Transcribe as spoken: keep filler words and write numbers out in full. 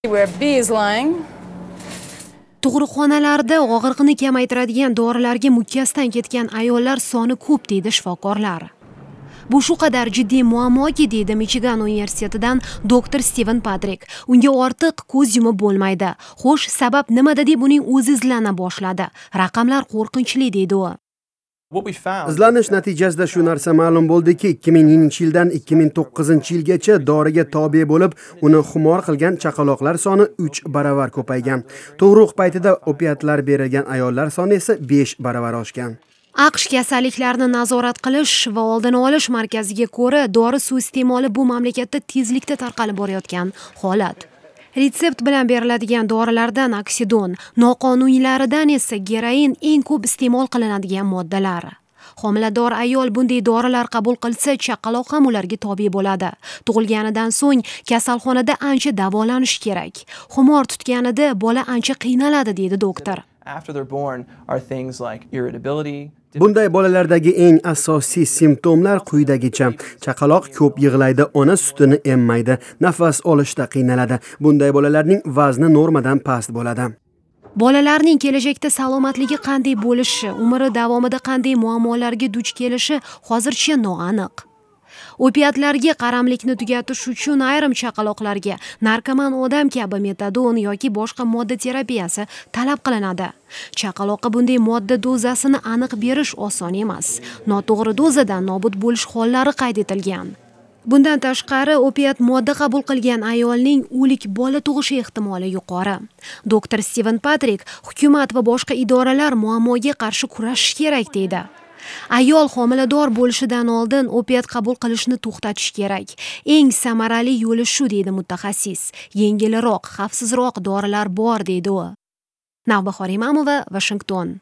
Where B is lying. Tug'ruqxonalarda og'riqni kamaytiradigan dorilarga mukkasidan ketgan ayollar soni ko'p, deydi shifokorlar. Bu shu qadar jiddiy muammoki, deydi Michigan universitetidan doktor Steven Patrik. Unga ortiq ko'z yumib bo'lmaydi. Xo'sh, sabab nimada deb uning o'zi izlana boshladi. Raqamlar qo'rqinchli, deydi u. Izlanish natijasida shu narsa ma'lum bo'ldiki, ikki minginchi yildan ikki ming to'qqizinchi yilgacha doriga tobe bo'lib, uni xumor qilgan chaqaloqlar soni uch baravar ko'paygan. Tug'ruq paytida opiatlar berilgan ayollar soni esa besh baravar oshgan. AQSh kasalliklarni nazorat qilish va oldini olish markaziga ko'ra, dori suiiste'moli bu mamlakatda tezlikda tarqalib borayotgan holat. Retsept bilan beriladigan dorilardan oksidon, noqonuniylaridan esa geroin eng ko'p iste'mol qilinadigan moddalar. Homilador ayol bunday dorilar qabul qilsa, chaqaloq ham ularga tobe bo'ladi. Tug'ilganidan so'ng kasalxonada ancha davolanish kerak. Xumor tutganida bola ancha qiynaladi, deydi doktor. After they're born are things like irritability. Bunday bolalardagi eng asosiy simptomlar quyidagicha: chaqaloq ko'p yig'laydi, ona sutini emmaydi, nafas olishda qiynaladi. Bunday bolalarning vazni normadan past bo'ladi. Bolalarning kelajakda salomatligi qanday bo'lishi, umri davomida qanday muammolarga duch kelishi hozircha noaniq. Opiatlarga qaramlikni tugatish uchun ayrim chaqaloqlarga narkoman odam kabi metadon yoki boshqa modda terapiyasi talab qilinadi. Chaqaloqqa bunday modda dozasini aniq berish oson emas. Noto'g'ri dozadan nobud bo'lish hollari qayd etilgan. Bundan tashqari, opiat modda qabul qilgan ayolning o'lik bola tug'ishi ehtimoli yuqori. Doktor Steven Patrik hukumat va boshqa idoralar muammoga qarshi kurashish kerak, deydi. Ayol homilador bo'lishidan oldin opiat qabul qilishni to'xtatish kerak. Eng samarali yo'li shu, deydi mutaxassis. Yengilroq, xavfsizroq dorilar bor, deydi u. Navbahor Imamova, Washington.